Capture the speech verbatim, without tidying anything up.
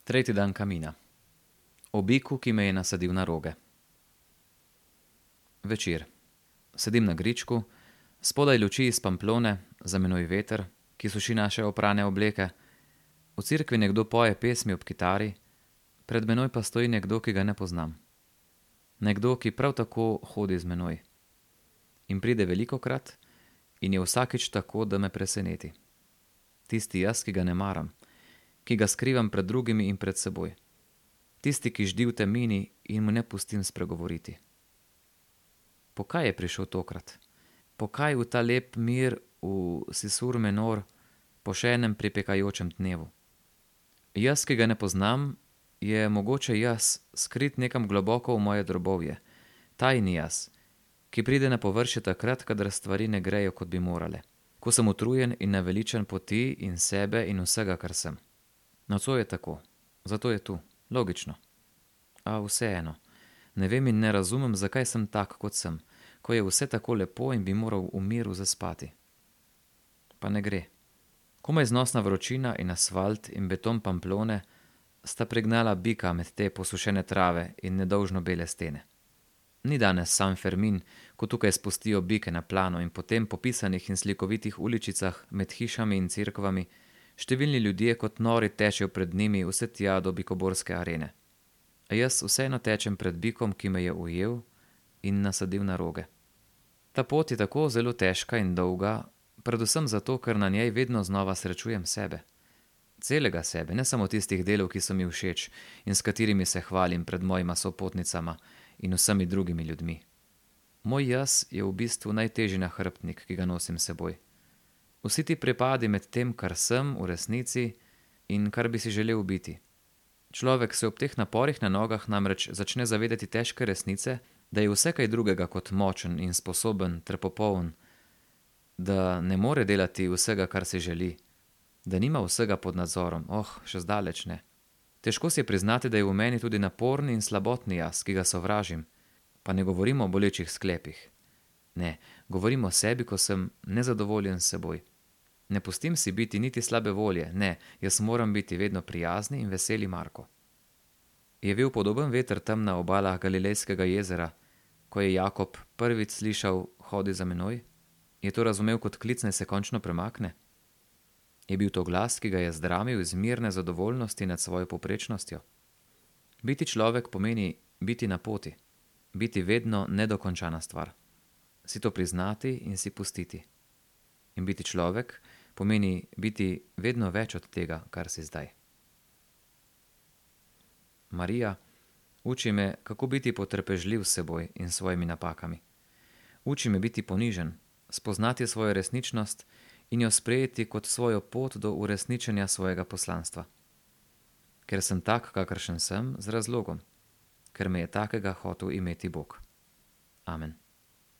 Tretji dan kamina. O biku, ki me je nasadil na roge. Večer. Sedim na gričku, spodaj luči iz Pamplone, za menoj veter, ki suši naše oprane obleke. V cerkvi nekdo poje pesmi ob kitari, pred menoj pa stoji nekdo, ki ga ne poznam. Nekdo, ki prav tako hodi z menoj. In pride velikokrat in je vsakič tako, da me preseneti. Tisti jaz, ki ga ne maram, ki ga skrivam pred drugimi in pred seboj. Tisti, ki ždi v temini in mu ne pustim spregovoriti. Po kaj je prišel tokrat? Po kaj v ta lep mir v Sisur menor po še enem pripekajočem dnevu? Jaz, ki ga ne poznam, je mogoče jaz, skrit nekam globoko v moje drobovje. Tajni jaz, ki pride na površje takrat, kadar stvari ne grejo, kot bi morale. Ko sem utrujen in naveličan poti in sebe in vsega, kar sem. Nocoj je tako, zato je tu, logično. A vseeno, ne vem in ne razumem, zakaj sem tak, kot sem, ko je vse tako lepo in bi moral v miru zaspati. Pa ne gre. Komaj znosna vročina in asfalt in beton Pamplone sta pregnala bika med te posušene trave in nedolžno bele stene. Ni danes San Fermin, ko tukaj spustijo bike na plano in potem po pisanih in slikovitih uličicah med hišami in cerkvami številni ljudje kot nori tečejo pred njimi vse tja do bikoborske arene. A jaz vseeno tečem pred bikom, ki me je ujel in nasadil na roge. Ta pot je tako zelo težka in dolga, predvsem zato, ker na njej vedno znova srečujem sebe. Celega sebe, ne samo tistih delov, ki so mi všeč in s katerimi se hvalim pred mojima sopotnicama in vsemi drugimi ljudmi. Moj jaz je v bistvu najtežji nahrbtnik, ki ga nosim s seboj. Vsi ti prepadi med tem, kar sem v resnici in kar bi si želel biti. Človek se ob teh naporih na nogah namreč začne zavedati težke resnice, da je vse kaj drugega kot močen in sposoben ter popoln, da ne more delati vsega, kar si želi, da nima vsega pod nadzorom, oh, še zdaleč ne. Težko si je priznati, da je v meni tudi naporni in slabotni jaz, ki ga sovražim, pa ne govorim o bolečih sklepih. Ne, govorim o sebi, ko sem nezadovoljen s seboj. Ne pustim si biti niti slabe volje, ne, jaz moram biti vedno prijazni in veseli Marko. Je bil podoben veter tam na obalah Galilejskega jezera, ko je Jakob prvič slišal hodi za menoj? Je to razumel kot klic, naj se končno premakne? Je bil to glas, ki ga je zdramil iz mirne zadovoljnosti nad svojo povprečnostjo? Biti človek pomeni biti na poti, biti vedno nedokončana stvar. Si to priznati in si pustiti. In biti človek pomeni biti vedno več od tega, kar si zdaj. Marija, uči me, kako biti potrpežljiv s seboj in svojimi napakami. Uči me biti ponižen, spoznati svojo resničnost in jo sprejeti kot svojo pot do uresničenja svojega poslanstva. Ker sem tak, kakršen sem, z razlogom. Ker me je takega hotel imeti Bog. Amen.